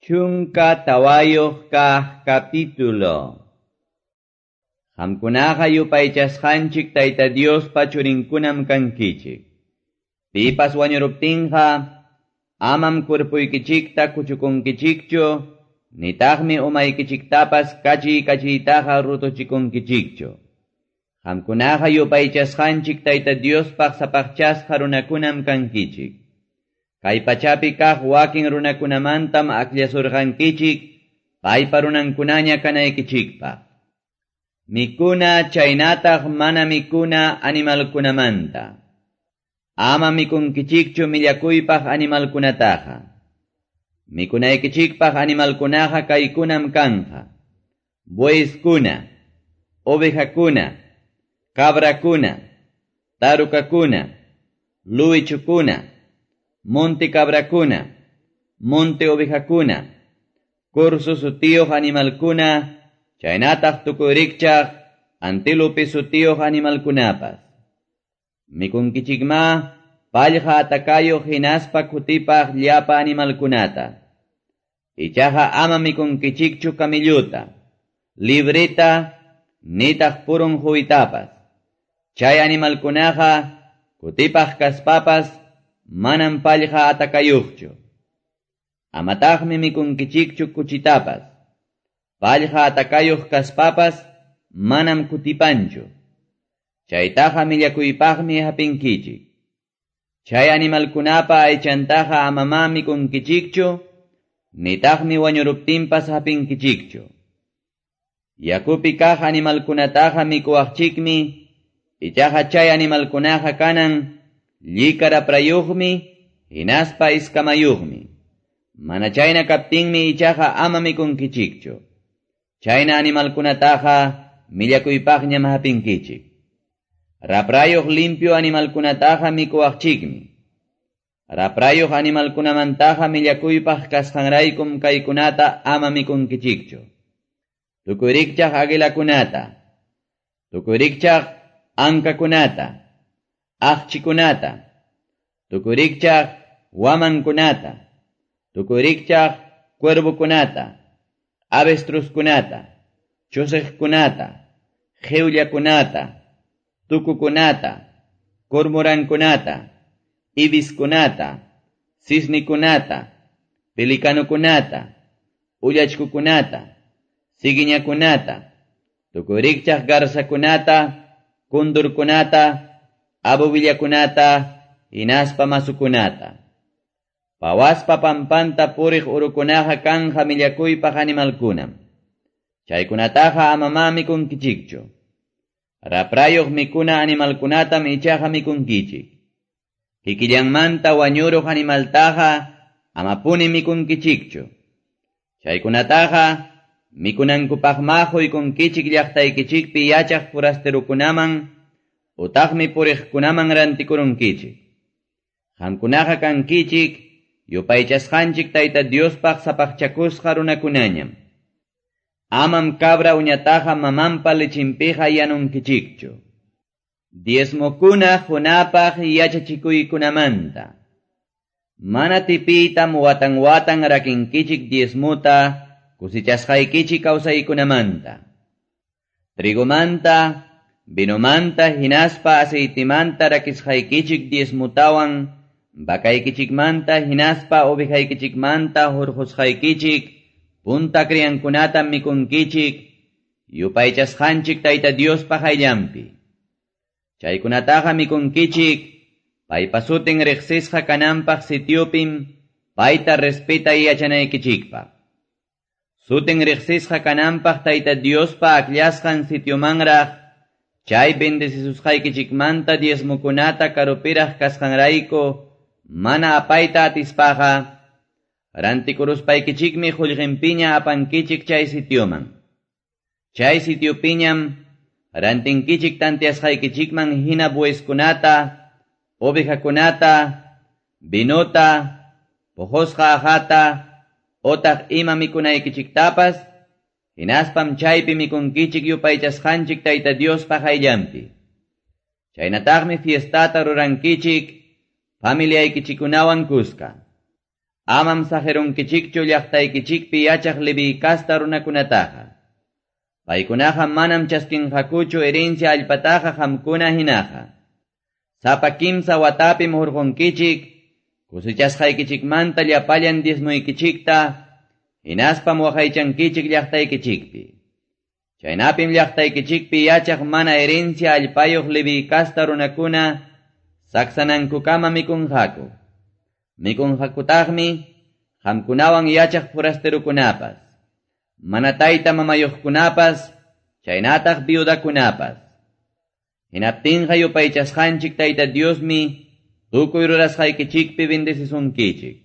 14 kaq capítulo. Qamkunaqa yupaychasqanchik Tayta Diospa churinkunam kankichik. Pipas wañuruptinqa amam kurpuykichikta kuchukunkichikchu, nitaqmi umaykichiktapas kachiy kachiytaqa rutuchikunkichikchu. Qamkunaqa yupaychasqanchik Tayta Diospaq sapaqchasqa runakunam kankichik. Kay pachapi kaq wakin runakunamantam akllasurqankichik, paypa runankunaña kanaykichikpaq. Mikuna chaynataq mana mikuna animalkunamanta. Ama mikunkichikchu millakuypaq animalkunataqa. Mikunaykichikpaq animalkunaqa kaykunam kanqa. Bueyskuna, ovejakuna, cabrakuna, tarukakuna, luwichukuna, monte cabrakuna, monte ovejakuna, corzo sutiyuq animalkuna, chaynataq tukuy rikchaq antílope sutiyuq animalkunapas. Mikunkichikma pallqa atakayuq hinaspa kutipaq llapa animalkunata. Ichaqa ama mikunkichikchu kamilluta, libreta, nitaq purun huwitapas. Chay animalkunaqa kutipaq kaspapas manam pallqa atakayuqchu. Amataqmi mikunkichikchu kuchitapas. Pallqa atakayuq kaspapas manam kutipanchu. Chaytaqa millakuypaqmi hapinkichik. Chay animalkunapa aychantaqa amamá mikunkichikchu, nitaqmi wañuruptinpas hapinkichikchu. Yakupi kaq animalkunataqa mikuwaqchikmi, ichaqa chay animalkunaqa kanan llika raprayuqmi, hinaspa iskamayuqmi. Mana chayna kaptinmi ichaqa ama mikunkichikchu. Chayna animalkunataqa millakuypaqñam hapinkichik. Raprayuq limpio animalkunataqa mikuwaqchikmi. Raprayuq animalkunamantaqa millakuypaq kasqanraykum kaykunata ama mikunkichikchu. Tukuy rikchaq aguilakunata, tukuy rikchaq ankakunata, aqchikunata, tukuy rikchaq wamankunata, tukuy rikchaq cuervokunata, avestruzkunata, chusiqkunata, qiwllakunata, tukukunata, cormorankunata, ibiskunata, cisnikunata, pelikanukunata, ullachkukunata, siguiñakunata, tukuy rikchaq garzakunata, kundurkunata, abubillakunata, hinaspa masukunata. Pawaspa pampanta puriq urukunaqa kanja millakuypaq animalkunam. Chaykunataqa amamá mikunkichikchu. Raprayuq mikuna animalkunatam ichaqa mikunkichik. Kikillanmanta wañuruq animaltaqa amapuni mikunkichikchu. Chaykunataqa mikunankupaqma quykunkichik llaqtaykichikpi yachaq forasterukunaman utaqmi puriqkunaman rantikurunkichik. Qamkunaqa kankichik yupaychasqanchik Tayta Diospaq sapaqchakusqa runakunañam. Amam cabra uñataqa mamanpa lichinpiqa yanunkichikchu. Diezmokuna qunapaq yachachikuykunamanta. Mana tipiytam watan watan rakinkichik diezmuta kusichasqaykichik kawsaykunamanta. Trigomanta, vinomanta hinaspa aceitimanta rakisqaykichik diezmutawan, vakaykichikmanta hinaspa ovejaykichikmanta hurqusqaykichik, punta criankunata mikunkichik, yupaychasqanchik Tayta Diospa qayllanpi. Chaykunataqa mikunkichik, paypa sutin riqsisqa kananpaq sitiopim, payta respetay yachanaykichikpaq. Sutin riqsisqa kananpaq Tayta Diospa akllasqan sitiomanraq, chay bendecisusqaykichikmanta diezmukunata karupiraq kasqanrayku, mana apayta atispaqa, rantikuruspaykichikmi qullqinpiña apankichik chay sitioman. Chay sitiopiñam rantinkichik tantiasqaykichikman hina bueyeskunata, ovejakunata, vinota, puqusqa aqhata, otaq ima mikunaykichiktapas, hinaspam chaypi mikunkichik yupaychasqanchik Tayta Diospa qayllanpi. Chaynataqmi fiestata rurankichik familiaykichikunawan kuska. Amam saqirunkichikchu llaqtaykichikpi yachaq Leví kasta runakunataqa. Paykunaqa manam chaskinqakuchu herencia allpataqa qamkuna hinaqa. Sapa kimsa watapim hurqunkichik, cosechasqaykichikmanta llapallan diezmoykichikta, hinaspam waqaychankichik llaqtaykichikpi. Chaynapim llaqtaykichikpi yachaq mana herencia allpayuq Leví kasta runakuna saksanankukama mikunqaku. Mikunqakutaqmi qamkunawan yachaq forasterokunapas, mana tayta mamayuqkunapas, chaynataq viudakunapas. Hinaptinqa yupaychasqanchik Tayta Diosmi tukuy rurasqaykichikpi bendecisunkichik.